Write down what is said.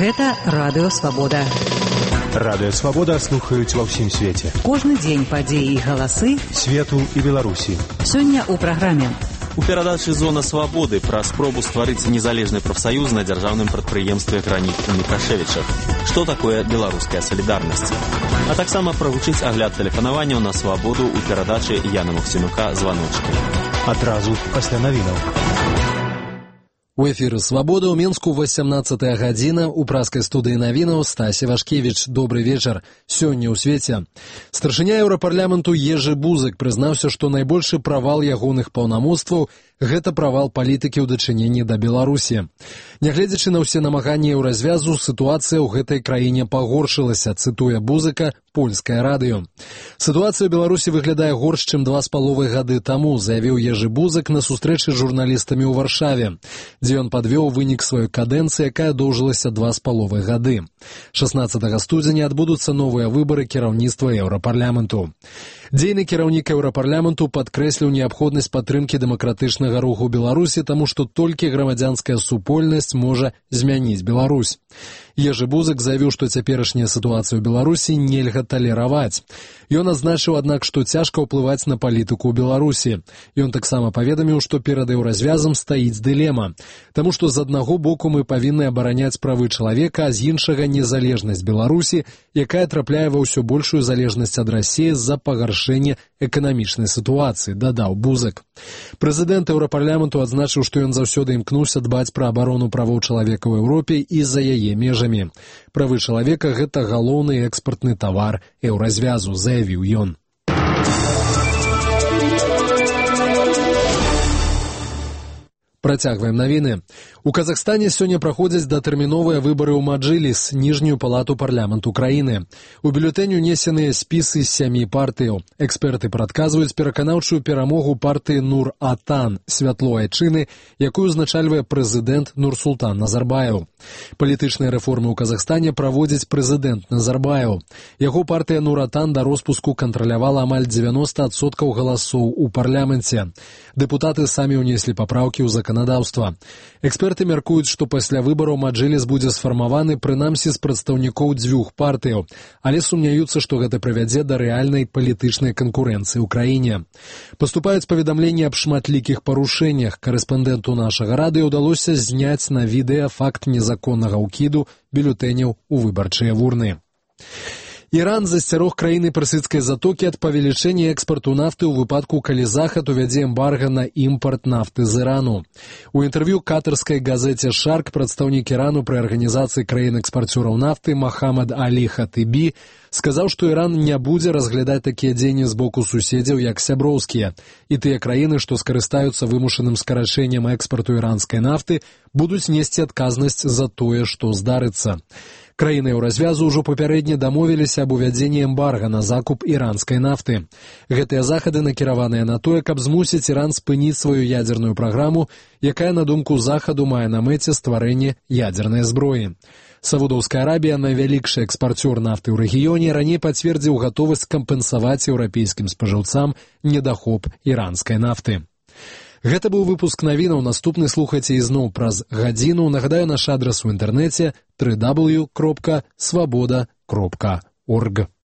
Гэта Радыё Свабода. Радыё Свабода слухаюць ва ўсім свеце. Кожны дзень падзеі і галасы свету і Беларусі. Сёння ў праграме. У перадачы «Зона свабоды» пра спробу стварыць незалежны прафсаюз на дзяржаўным прадпрыемстве «Граніт» у Мікашэвічах. Што такое беларуская салідарнасць? А таксама правучыць агляд тэлефанаванняў на свабоду ў перадачы Яна Максімюка «Званочкі». Адразу пасля навінаў. У эфіры «Свабода» ў Мінску 18 гадзіна. У праскай студыі навінаў Стася Вашкевіч. Добры вечар. Сёння ў свеце. Старшыня Еўрапарламенту Ежы Бузык прызнаўся, што найбольшы правал ягоных паўнамоцтваў – гэта правал палітыкі ў дачыненні да Беларусі. Нягледзячы на ўсе намаганні еўразвязу, сітуацыя ў гэтай краіне пагоршылася, цытуе Бузыка польскае радыё. Сітуацыя ў Беларусі выглядае горш, чым 2,5 гады таму, заявіў Ежы Бузык на сустрэчы з журналістамі ў Варшаве, дзе ён падвёў вынік сваёй кадэнцыі, якая доўжылася 2,5 гады. 16 студзеня адбудуцца новыя выбары кіраўніцтва Еўрапарламенту. Дзейны кіраўнік Еўрапарламенту падкрэсліў неабходнасць падтрымкі дэмакратычнага руху Беларусі, таму што толькі грамадзянская супольнасць можа змяніць Беларусь. Ежы Бузык заявіў, што цяперашняя сітуацыя ў Беларусі нельга талераваць. Ён адзначыў, аднак, што цяжка ўплываць на палітыку ў Беларусі. Ён таксама паведаміў, што перад еўразвязам стаіць дылема, таму што з аднаго боку мы павінны абараняць правы чалавека, а з іншага незалежнасць Беларусі, якая трапляе ва ўсё большую залежнасць ад Расіі з-за пагаршэння эканамічнай сітуацыі, дадаў Бузык. Прэзідэнт Еўрапарламенту адзначыў, што ён заўсёды імкнуўся дбаць пра абарону правоў чалавека ў Еўропе і за яе межамі. Правы чалавека – гэта галоўны экспартны тавар еўразвязу, заявіў ён. Працягваем навіны. У Казахстане сёння праходзяць датэрміновыя выбары ў Маджыліс, ніжнюю палату парламенту краіны. У бюлетэнь унесеныя спісы з 7 партыяў. Эксперты прадказваюць пераканаўчую перамогу партыі Нур-Атан, святло айчыны, якую узначальвае прэзідэнт Нурсултан Назарбаев. Палітычныя рэформы ў Казахстане праводзіць прэзідэнт Назарбаев. Яго партыя Нур-Атан да роспуску кантралявала амаль 90% галасоў у парламенце. Дэпутаты самі ўнеслі папраўкі ў заканадаўства. Эксперты мяркуюць, што пасля выбараў Маджыліс будзе сфармаваны прынамсі з прадстаўнікоў 2 партыяў, але сумняюцца, што гэта прывядзе да рэальнай палітычнай канкурэнцыі ў краіне. Паступаюць паведамленні аб шматлікіх парушэннях. Карэспандэнту нашага радыё ўдалося зняць на відэа факт незаконнага ўкіду бюлетэняў у выбарчыя вурны. Іран засцярог краіны персідскай затокі ад павелічэння экспарту нафты ў выпадку, калі Захад увядзе эмбарга на імпарт нафты з Ірану. У інтэрв'ю катарскай газеце «Шарк» прадстаўнік Ірану пры арганізацыі краін-экспарцёраў нафты Махамад Алі Хатыбі сказаў, што Іран не будзе разглядаць такія дзеянні з боку суседзяў як сяброўскія, і тыя краіны, што скарыстаюцца вымушаным скарачэннем экспарту іранскай нафты, будуць несці адказнасць за тое, што здарыцца. Краіны еўразвязу ўжо папярэдне дамовіліся аб увядзенні эмбарга на закуп іранскай нафты. Гэтыя захады накіраваныя на тое, каб змусіць Іран спыніць сваю ядзерную праграму, якая, на думку Захаду, мае на мэце стварэнне ядзернай зброі. Саудаўская Арабія, найвялікшы экспарцёр нафты ў рэгіёне, раней пацвердзіў гатовасць кампенсаваць еўрапейскім спажыўцам недахоп іранскай нафты. Гэта быў выпуск навінаў. Наступны слухайце ізноў праз гадзіну. Нагадаю, наш адрас у інтэрнэце www.swaboda.org.